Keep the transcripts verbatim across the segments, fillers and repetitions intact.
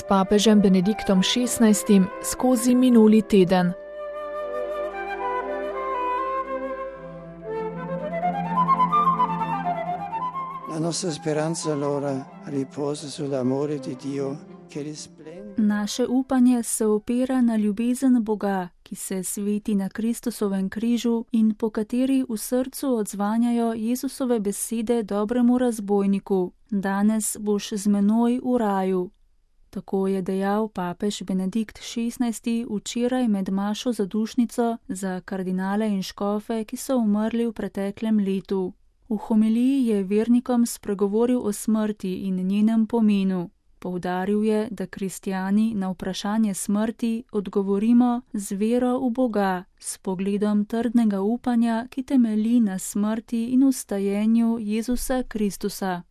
papežem Benediktom šestnajstim skozi minuli teden. La nostra speranza allora riposa sull'amore di Dio che risplende. Naše upanje se opira na ljubezen Boga, ki se sveti na Kristusovem križu in po kateri v srcu odzvanjajo Jezusove besede dobremu razbojniku: danes boš z menoj v raju. Tako je dejal papež Benedikt šestnajsti včeraj med mašo zadušnico za kardinale in škofe, ki so umrli v preteklem letu. V homiliji je vernikom spregovoril o smrti in njenem pomenu. Poudaril je, da kristjani na vprašanje smrti odgovorimo z vero v Boga, s pogledom trdnega upanja, ki temelji na smrti in vstajenju Jezusa Kristusa.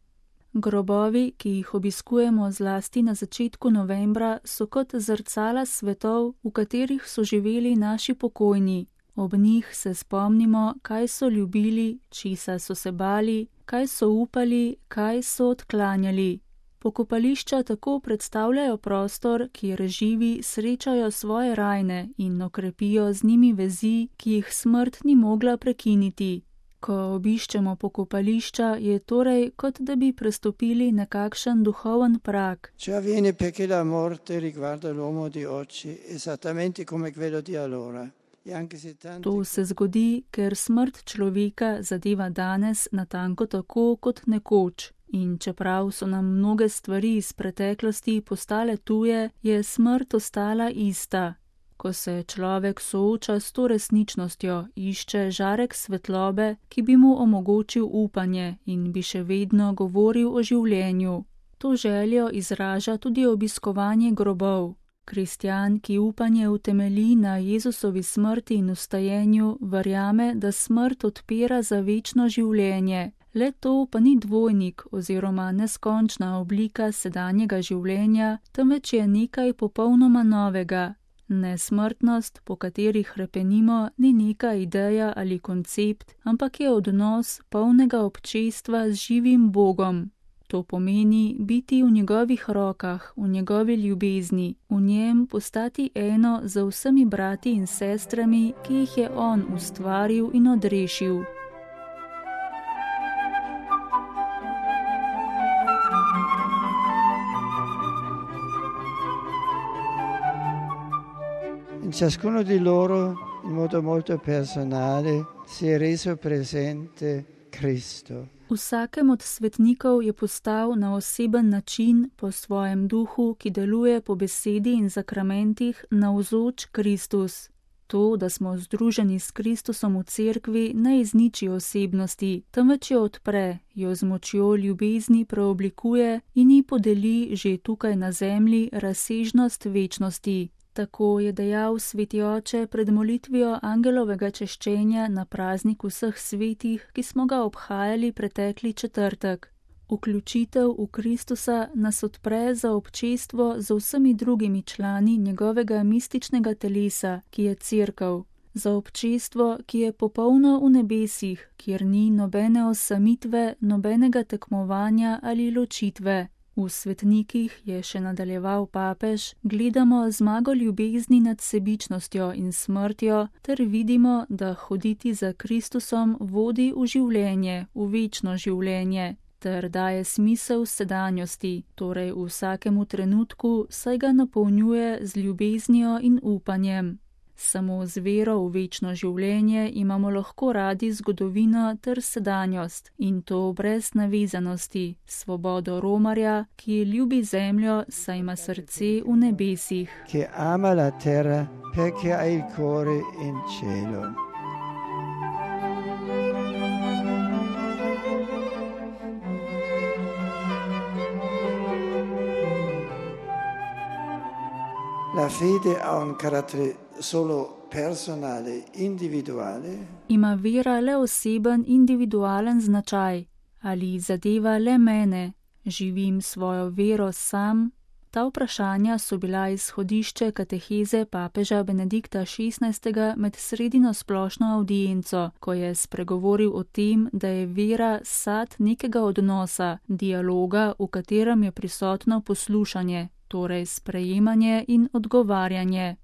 Grobovi, ki jih obiskujemo zlasti na začetku novembra, so kot zrcala svetov, v katerih so živeli naši pokojni. Ob njih se spomnimo, kaj so ljubili, česa so se bali, kaj so upali, kaj so odklanjali. Pokopališča tako predstavljajo prostor, kjer živi srečajo svoje rajne in okrepijo z njimi vezi, ki jih smrt ni mogla prekiniti. Ko obiščemo pokopališča, je torej, kot da bi prestopili nekakšen duhoven prag. Ciò avviene perché la morte riguarda l'uomo di oggi esattamente come quello di allora. To se zgodi, ker smrt človeka zadeva danes natanko tako kot nekoč. In čeprav so nam mnoge stvari iz preteklosti postale tuje, je smrt ostala ista. Ko se človek sooča s to resničnostjo, išče žarek svetlobe, ki bi mu omogočil upanje in bi še vedno govoril o življenju. To željo izraža tudi obiskovanje grobov. Kristjan, ki upanje utemelji na Jezusovi smrti in vstajenju, verjame, da smrt odpira za večno življenje. Le to pa ni dvojnik oziroma neskončna oblika sedanjega življenja, temveč je nekaj popolnoma novega. Nesmrtnost, po kateri hrepenimo, ni neka ideja ali koncept, ampak je odnos polnega občestva z živim Bogom. To pomeni biti v njegovih rokah, v njegovi ljubezni, v njem postati eno z vsemi brati in sestrami, ki jih je on ustvaril in odrešil. In ciascuno di loro, in modo molto personale, si è reso presente Cristo. Vsakem od svetnikov je postal na oseben način, po svojem duhu, ki deluje po besedi in zakramentih, navzoč Kristus. To, da smo združeni s Kristusom v cerkvi, ne izniči osebnosti, temveč jo odpre, jo z močjo ljubezni preoblikuje in ji podeli že tukaj na zemlji razsežnost večnosti. Tako je dejal sveti oče pred molitvijo angelovega češčenja na praznik vseh svetih, ki smo ga obhajali pretekli četrtek. Vključitev v Kristusa nas odpre za občestvo z vsemi drugimi člani njegovega mističnega telesa, ki je cerkev. Za občestvo, ki je popolno v nebesih, kjer ni nobene osamitve, nobenega tekmovanja ali ločitve. V svetnikih, je še nadaljeval papež, gledamo zmago ljubezni nad sebičnostjo in smrtjo, ter vidimo, da hoditi za Kristusom vodi v življenje, v večno življenje, ter daje smisel sedanjosti, torej v vsakemu trenutku, saj ga napolnjuje z ljubeznijo in upanjem. Samo z vero v večno življenje imamo lahko radi zgodovino ter sedanjost, in to brez navezanosti, svobodo romarja, ki ljubi zemljo, saj ima srce v nebesih. Che ama la terra perché ha il cuore in cielo. La fede ha un carattere solo personale, individuale. Ima vera le oseben, individualen značaj. Ali zadeva le mene? Živim svojo vero sam? Ta vprašanja so bila izhodišče kateheze papeža Benedikta šestnajstega med sredino splošno avdienco, ko je spregovoril o tem, da je vera sad nekega odnosa, dialoga, v katerem je prisotno poslušanje. torej sprejemanje in odgovarjanje.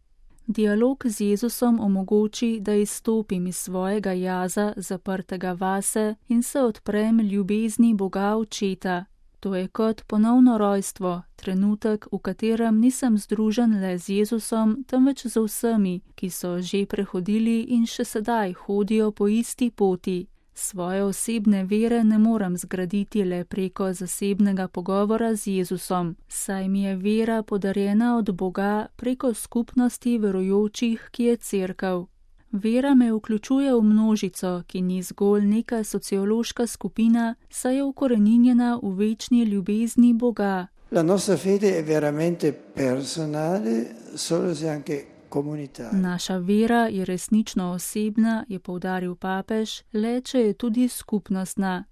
Dialog z Jezusom omogoči, da izstopim iz svojega jaza, zaprtega vase, in se odprem ljubezni Boga Očeta. To je kot ponovno rojstvo, trenutek, v katerem nisem združen le z Jezusom, temveč z vsemi, ki so že prehodili in še sedaj hodijo po isti poti. Svoje osebne vere ne morem zgraditi le preko zasebnega pogovora z Jezusom, saj mi je vera podarjena od Boga preko skupnosti verujočih, ki je Cerkev. Vera me vključuje v množico, ki ni zgolj neka sociološka skupina, saj je ukoreninjena v večni ljubezni Boga. La nostra fede è veramente personale, solo se anche comunitaria. Naša vera je resnično osebna, je poudaril papež, le če je tudi skupnostna.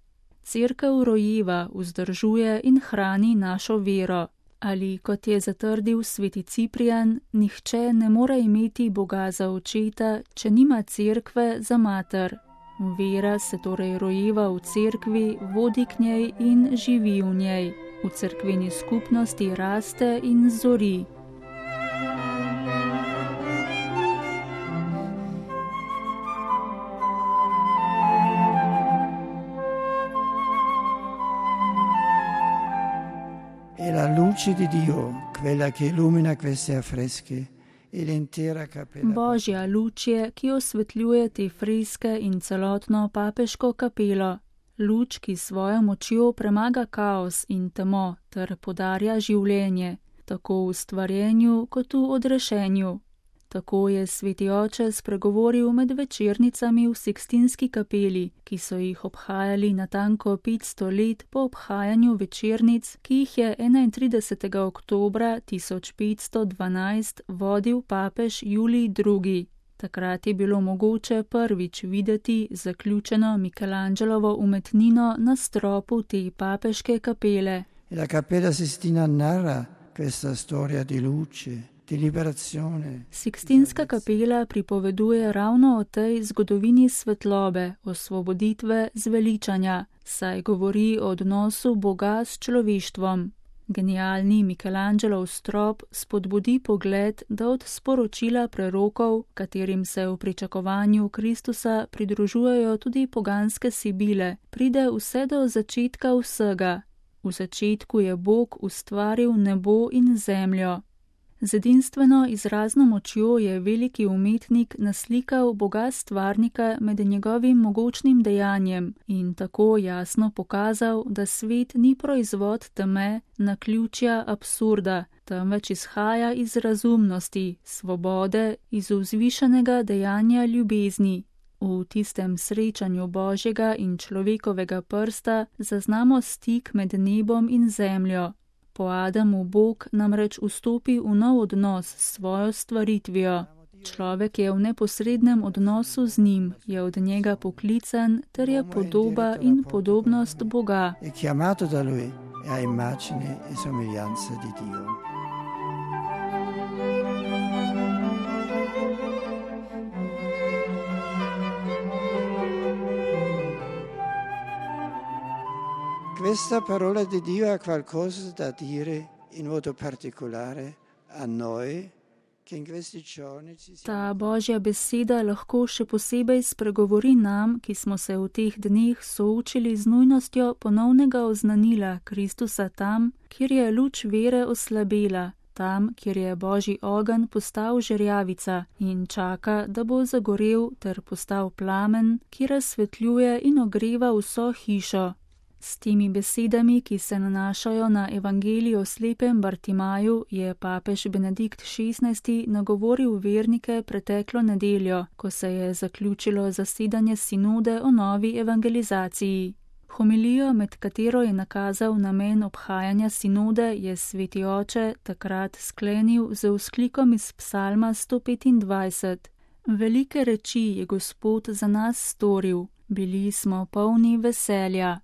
Cerkev rojeva, vzdržuje in hrani našo vero. Ali, kot je zatrdil sveti Ciprijan, nihče ne more imeti Boga za očeta, če nima cerkve za mater. Vera se torej rojeva v cerkvi, vodi k njej in živi v njej. V cerkveni skupnosti raste in zori. La luce di Dio, quella che illumina questi affreschi e l'intera cappella. Božja luč je, ki osvetljuje te freske in celotno papeško kapelo. Luč, ki svojo močjo premaga kaos in temo ter podarja življenje, tako v stvarjenju kot v odrešenju. Tako je sveti oče spregovoril med večernicami v Sikstinski kapeli, ki so jih obhajali natanko petsto let po obhajanju večernic, ki jih je enaintridesetega oktobra tisoč petsto dvanajst vodil papež Julij drugi. Takrat je bilo mogoče prvič videti zaključeno Michelangelovo umetnino na stropu te papeške kapele. La Cappella Sistina narra questa storia di luce. Sikstinska kapela pripoveduje ravno o tej zgodovini svetlobe, osvoboditve, zveličanja, saj govori o odnosu Boga s človeštvom. Genialni Michelangelov strop spodbudi pogled, da od sporočila prerokov, katerim se v pričakovanju Kristusa pridružujejo tudi poganske sibile, pride vse do začetka vsega. V začetku je Bog ustvaril nebo in zemljo. Z edinstveno izrazno močjo je veliki umetnik naslikal Boga stvarnika med njegovim mogočnim dejanjem in tako jasno pokazal, da svet ni proizvod teme, naključja, absurda, temveč izhaja iz razumnosti, svobode, iz vzvišenega dejanja ljubezni. V tistem srečanju Božjega in človekovega prsta zaznamo stik med nebom in zemljo. Po Adamu Bog namreč vstopi v nov odnos s svojo stvaritvijo. Človek je v neposrednem odnosu z njim, je od njega poklican, ter je podoba in podobnost Boga. È chiamato da lui a immagine e somiglianza di Dio. Questa parola di Dio ha qualcosa da dire in modo particolare a noi, che in questi giorni ci siamo... Ta Božja beseda lahko še posebej spregovori nam, ki smo se v teh dneh soočili z nujnostjo ponovnega oznanila Kristusa tam, kjer je luč vere oslabela, tam, kjer je Božji ogenj postal žerjavica in čaka, da bo zagorel ter postal plamen, ki razsvetljuje in ogreva vso hišo. S temi besedami, ki se nanašajo na evangelij o slepem Bartimaju, je papež Benedikt šestnajsti nagovoril vernike preteklo nedeljo, ko se je zaključilo zasedanje sinode o novi evangelizaciji. Homilijo, med katero je nakazal namen obhajanja sinode, je sveti oče takrat sklenil z vzklikom iz psalma sto petindvajset. Velike reči je Gospod za nas storil, bili smo polni veselja.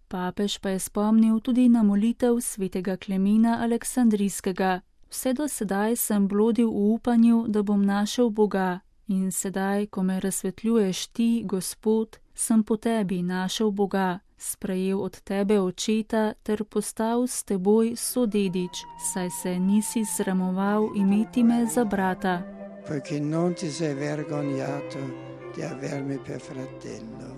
Papež pa je spomnil tudi na molitev svetega Klemena Aleksandrijskega. Vse do sedaj sem blodil v upanju, da bom našel Boga, in sedaj, ko me razsvetljuješ ti, Gospod, sem po tebi našel Boga. sprejel od tebe očeta ter postal s teboj sodedič, saj se nisi sramoval imeti me za brata. Poiché non ti sei vergognato di avermi per fratello.